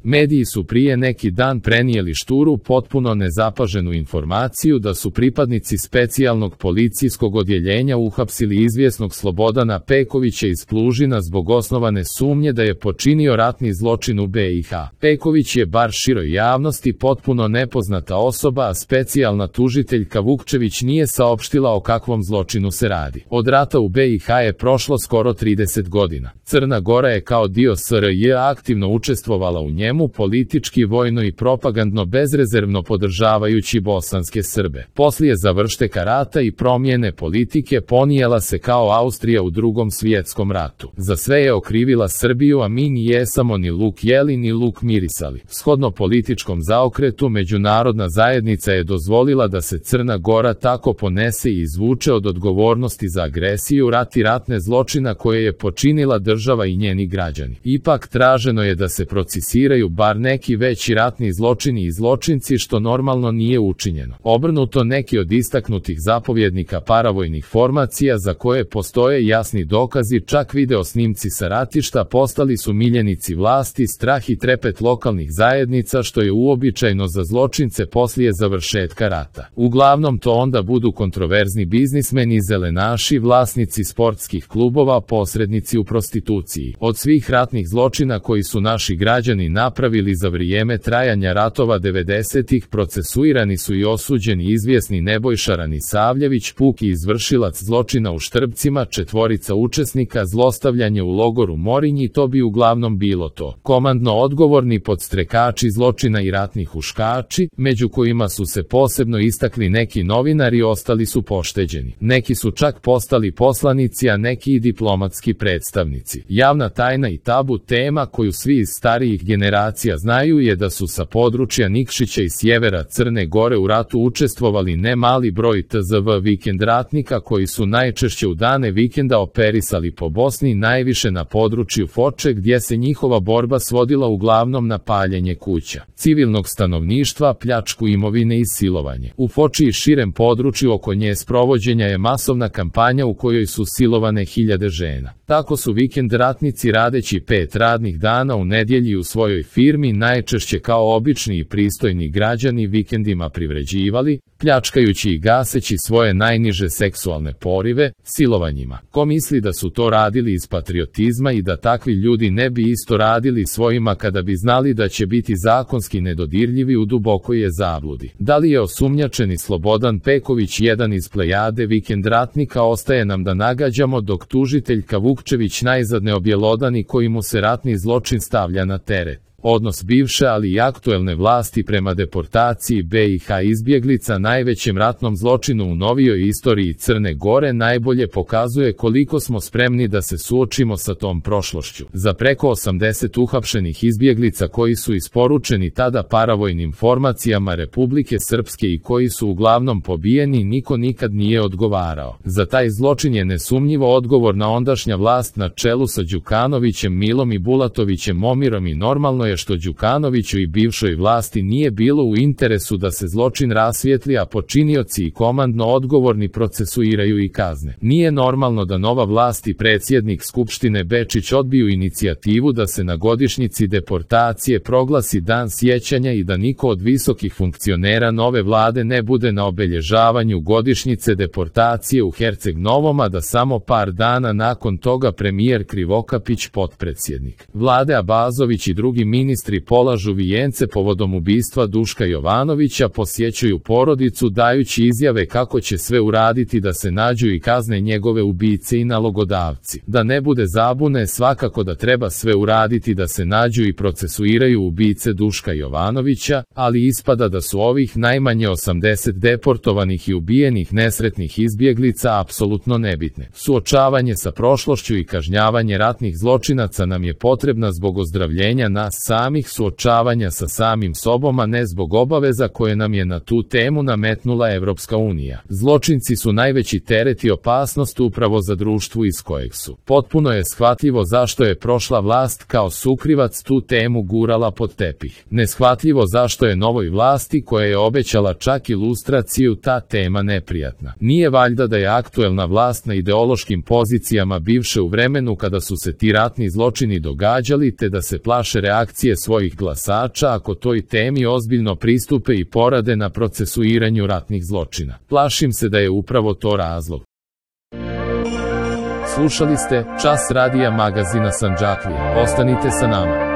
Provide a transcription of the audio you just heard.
Mediji su prije neki dan prenijeli šturu, potpuno nezapaženu informaciju da su pripadnici specijalnog policijskog odjeljenja uhapsili izvjesnog Slobodana Pekovića iz Plužina zbog osnovane sumnje da je počinio ratni zločin u BiH. Peković je bar široj javnosti potpuno nepoznata osoba, a specijalna tužiteljka Vukčević nije saopštila o kakvom zločinu se radi. Od rata u BiH je prošlo skoro 30 godina. Crna Gora je kao dio SRJ aktivno učestvovala u njemu, politički, vojno i propagandno bezrezervno podržavajući bosanske Srbe. Poslije završetka rata i promjene politike ponijela se kao Austrija u Drugom svjetskom ratu. Za sve je okrivila Srbiju, a mi ni jesamo ni luk jeli ni luk mirisali. Shodno političkom zaokretu, međunarodna zajednica je dozvolila da se Crna Gora tako ponese i izvuče od odgovornosti za agresiju, rat i ratne zločina koje je počinila država i njeni građani. Ipak traženo je da se procesuiraju bar neki veći ratni zločini i zločinci, što normalno nije učinjeno. Obrnuto, neki od istaknutih zapovjednika paravojnih formacija za koje postoje jasni dokazi, čak video snimci sa ratišta, postali su miljenici vlasti, strah i trepet lokalnih zajednica, što je uobičajeno za zločince poslije završetka rata. Uglavnom to onda budu kontroverzni biznismeni, zelenaši, vlasnici sportskih klubova, posrednici u prostituciji. Od svih ratnih zločina koji su naši građani napravili za vrijeme trajanja ratova 90-ih, procesuirani su i osuđeni izvjesni Nebojša Ranisavljević, puki izvršilac zločina u Štrbcima, 4 učesnika zlostavljanja u logoru Morinj, i to bi uglavnom bilo to. Komandno odgovorni podstrekači zločina i ratni huškači, među kojima su se posebno istakli neki novinari, ostali su pošteđeni. Neki su čak postali poslanici, a neki i diplomatski predstavnici. Javna tajna i tabu tema koju svi iz starijih generacija znaju je da su sa područja Nikšića i sjevera Crne Gore u ratu učestvovali ne mali broj TZV vikend ratnika koji su najčešće u dane vikenda operisali po Bosni, najviše na području Foče, gdje se njihova borba svodila uglavnom na paljenje kuća, civilnog stanovništva, pljačku imovine i silovanje. U Foči i širem području oko nje sprovođenja je masovna kampanja u kojoj su silovane hiljade žena. Tako su vikend ratnici radeći 5 radnih dana u nedjelji u svojoj firmi, najčešće kao obični i pristojni građani, vikendima privređivali, pljačkajući i gaseći svoje najniže seksualne porive, silovanjima. Ko misli da su to radili iz patriotizma i da takvi ljudi ne bi isto radili svojima kada bi znali da će biti zakonski nedodirljivi, u dubokoj je zabludi. Da li je osumnjačeni Slobodan Peković jedan iz plejade vikend ratnika, ostaje nam da nagađamo, dok tužiteljka Vukčević najzad ne objelodani koji mu se ratni zločin stavlja na teret. Odnos bivše, ali i aktuelne vlasti prema deportaciji BiH izbjeglica, najvećem ratnom zločinu u novijoj istoriji Crne Gore, najbolje pokazuje koliko smo spremni da se suočimo sa tom prošlošću. Za preko 80 uhapšenih izbjeglica koji su isporučeni tada paravojnim formacijama Republike Srpske i koji su uglavnom pobijeni, niko nikad nije odgovarao. Za taj zločin je nesumnjivo odgovorna ondašnja vlast na čelu sa Đukanovićem, Milom i Bulatovićem Momirom, i normalno je što Đukanoviću i bivšoj vlasti nije bilo u interesu da se zločin rasvijetli, a počinioci i komandno odgovorni procesuiraju i kazne. Nije normalno da nova vlast i predsjednik Skupštine Bečić odbiju inicijativu da se na godišnjici deportacije proglasi dan sjećanja i da niko od visokih funkcionera nove vlade ne bude na obelježavanju godišnjice deportacije u Herceg Novom, a da samo par dana nakon toga premijer Krivokapić, potpredsjednik vlade Abazović i drugi ministri polažu vijence povodom ubistva Duška Jovanovića, posjećuju porodicu dajući izjave kako će sve uraditi da se nađu i kazne njegove ubice i nalogodavci. Da ne bude zabune, svakako da treba sve uraditi da se nađu i procesuiraju ubice Duška Jovanovića, ali ispada da su ovih najmanje 80 deportovanih i ubijenih nesretnih izbjeglica apsolutno nebitne. Suočavanje sa prošlošću i kažnjavanje ratnih zločinaca nam je potrebna zbog ozdravljenja nas samih, suočavanja sa samim sobom, a ne zbog obaveza koje nam je na tu temu nametnula Evropska unija. Zločinci su najveći teret i opasnost upravo za društvo iz kojeg su. Potpuno je shvatljivo zašto je prošla vlast kao sukrivac tu temu gurala pod tepih. Neshvatljivo zašto je novoj vlasti, koja je obećala čak i lustraciju, ta tema neprijatna. Nije valjda da je aktuelna vlast na ideološkim pozicijama bivše u vremenu kada su se ti ratni zločini događali, te da se plaše reakcije reakcije svojih glasača ako toj temi ozbiljno pristupe i porade na procesuiranju ratnih zločina. Plašim se da je upravo to razlog. Slušali ste Čas radija magazina Sandžaklija. Ostanite sa nama.